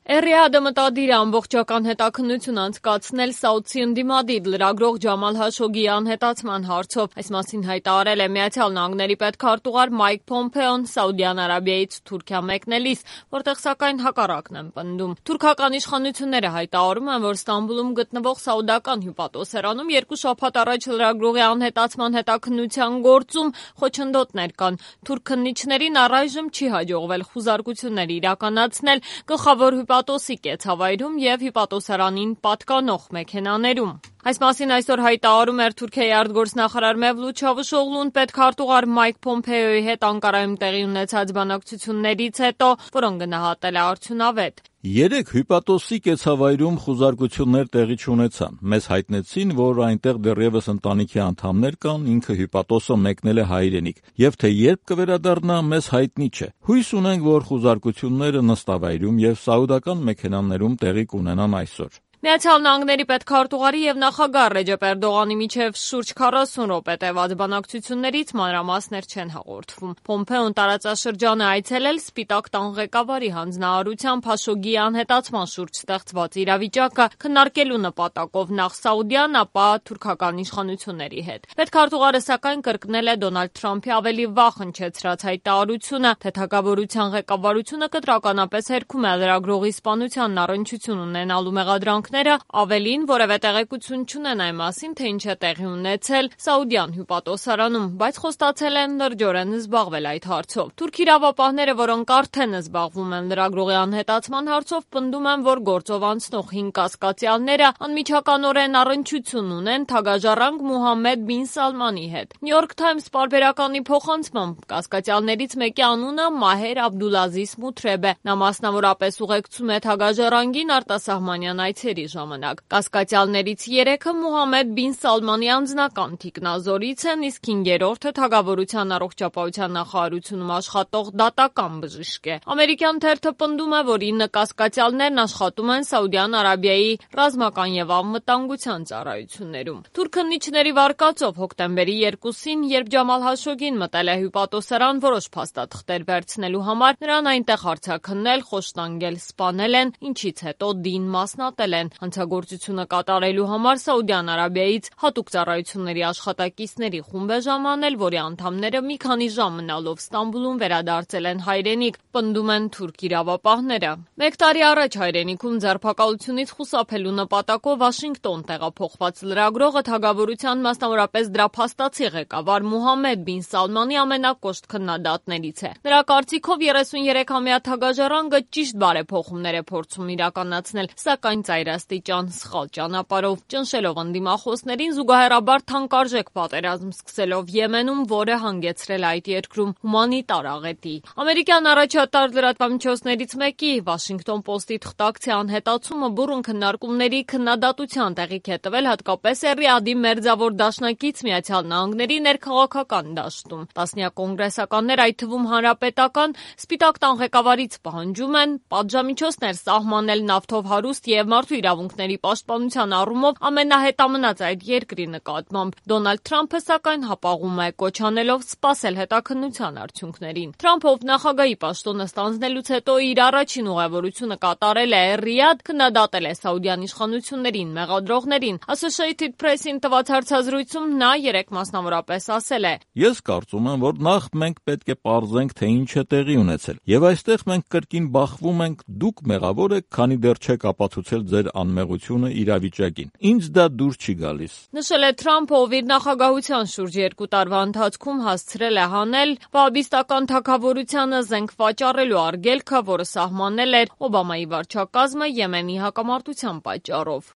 Էրիադը մտադիր է ամբողջական հետաքննություն անցկացնել Սաուդցի ընդդիմադիր լրագրող Ջամալ Հաշոգիի անհետացման հարցով։ Այս մասին հայտարարել է Միացյալ Նահանգների պետքարտուղար Մայք Փոմփեոն Սաուդյան Արաբիայից Թուրքիա մեկնելիս, որտեղ սակայն հակառակն են պնդում։ Թուրքական իշխանությունները հայտարարում են, որ Ստամբուլում գտնվող սաուդական հյուպատոսարանում 2 շաբաթ առաջ լրագրողի անհետացման հետաքննության գործում խոչընդոտներ կան։ Թուրք քննիչներին առայժմ չի հաջողվել խուզարկություններ իրականացնել գլխավոր հյուպատոսի կեցավայրում և հյուպատոսարանին պատկանող մեքենաներում։ Այս մասին այսօր հայտարարում էր Թուրքիայի արտգործնախարար Մևլութ Չավուշօղլուն պետքարտուղար Մայք Փոմփեոյի հետ Անկարայում տեղի ունեցած բանակցություններից հետո, որոնք գնահատել է արդյունավետ։ 3 հյուպատոսի կեցավայրում խուզարկություններ տեղի չունեցան։ Մեզ հայտնեցին, որ այնտեղ դեռևս ընտանիքի անդամներ կան, ինքը հյուպատոսը մեկնել է հայրենիք, եւ թե երբ կվերադառնա, մեզ հայտնի չէ։ Հույս ունենք, որ խուզարկությունները նստավայրում եւ սաուդական մեքենաներում տեղի կունենան այսօր։ Միացյալ Նահանգների պետքարտուղարի եւ նախագահ Ռեջեփ Էրդողանի միջև շուրջ 40 րոպե տևած բանակցություններից մանրամասներ չեն հաղորդվում։ Փոմփեոն տարածաշրջան է այցելել Սպիտակ տան ղեկավարի հանձնարարությամբ Հաշոգիի անհետացման շուրջ ստեղծված իրավիճակը քննարկելու նպատակով նախ սաուդյան, ապա թուրքական իշխանությունների հետ։ Պետքարտուղարը սակայն կրկնել է Դոնալդ Թրամփի ավելի վաղ հնչեցրած հայտարարությունը, թե թագավորության ղեկավարությունը կտրականապես հերքում է լրագրողի սպանության առնչություն ունենալու մեղադրանք ավելին որևէ տեղեկություն չունեն այն մասին, թե ինչ է տեղի ունեցել Սաուդյան հյուպատոսարանում, բայց խոստացել են լրջորեն զբաղվել այդ հարցով։ Թուրք իրավապահները, որոնք արդեն զբաղվում են լրագրողի անհետացման հարցով, պնդում են, որ գործով անցնող 5 կասկածյալները անմիջականորեն առնչություն ունեն թագաժառանգ Մուհամմեդ բին Սալմանի հետ։ New York Times պարբերականի փոխանցմամբ կասկածյալներից մեկի անունը Մահեր Աբդուլազիզ Մութրեբ է։ Նա մասնավորապես ուղեկցում է թագաժառանգին արտասահմանյան այցերի ժամանակ։ Կասկածյալներից 3-ը Մուհամմեդ բին Սալմանի անձնական թիկնազորից են, իսկ 5-րդը թագավորության առողջապահության նախարարությունում աշխատող դատական բժիշկ է։ Ամերիկյան թերթը պնդում է, որ 9 կասկածյալներն աշխատում են Սաուդյան Արաբիայի ռազմական եւ անվտանգության ծառայություններում։ Թուրք քննիչների վարկածով հոկտեմբերի 2-ին, երբ Ջամալ Հաշոգին մտել է հյուպատոսարան որոշ փաստաթղթեր վերցնելու համար, նրան այնտեղ հարցաքննել, խոշտանգել, սպանել են, ինչից հետո դին մասնատել են։ Հանցագործությունը կատարելու համար Սաուդյան Արաբիայից հատուկ ծառայությունների աշխատակիցների խումբ է ժամանել, որի անդամները մի քանի ժամ մնալով Ստամբուլում վերադարձել են հայրենիք, պնդում են թուրք իրավապահները։ 1 տարի առաջ հայրենիքում ձերբակալությունից խուսափելու նպատակով Վաշինգտոն տեղափոխված լրագրողը թագավորության, մասնավորապես դրա փաստացի ղեկավար Մուհամմեդ բին Սալմանի ամենակոշտ քննադատներից է։ Նրա կարծիքով 33-ամյա թագաժառանգը ճիշտ բարեփոխումներ է փորձում իրականացնել, սակայն ծայրաստիճան սխալ ճանապարհով, ճնշելով ընդդիմախոսներին, զուգահեռաբար թանկարժեք պատերազմ սկսելով Եմենում, որը հանգեցրել այդ երկրում հումանիտար աղետի։ Ամերիկյան առաջատար լրատվամիջոցներից մեկի Washington Post-ի թղթակցի անհետացումը բուռն քննարկումների քննադատության տեղիք է տվել հատկապես Էրիադի մերձավոր դաշնակից Միացյալ Նահանգների ներքաղաքական դաշտում։ Տասնյակ կոնգրեսականներ, այդ թվում հանրապետական, Սպիտակ տան ղեկավարից պահանջում են պատժամիջոցներ սահմանել նավթով հարուստ եւ մարդու իրավունքների պաշտպանության առումով ամենահետամնաց այդ երկրի նկատմամբ։ Դոնալդ Թրամփը սակայն հապաղում է, կոչ անելով սպասել հետաքննության արդյունքներին։ Թրամփը, ով նախագահի պաշտոնը ստանձնելուց հետո իր առաջին ուղևորությունը կատարել է Ռիադ, քննադատել է Սաուդյան իշխանություններին, մեղադրողներին։ Associated Press-ին տված հարցազրույցում նա երեք մասնավորապես ասել է. Ես կարծում եմ, որ նախ մենք պետք է պարզենք, թե ինչ է տեղի ունեցել։ Եվ այստեղ մենք կրկին բախվում ենք, դուք մեղավոր եք, քանի դեռ չեք ապացուցել ձեր անմեղությունը իրավիճակին։ Ինձ դա դուր չի գալիս։ Նշել է Թրամփը, ով իր նախագահության շուրջ 2 տարվա ընթացքում հասցրել է հանել վահաբիստական թագավորությանը զենք վաճառելու արգելքը, որը սահմանել էր Օբամայի վարչակազմը Եմենի հակամարտության պատճառով։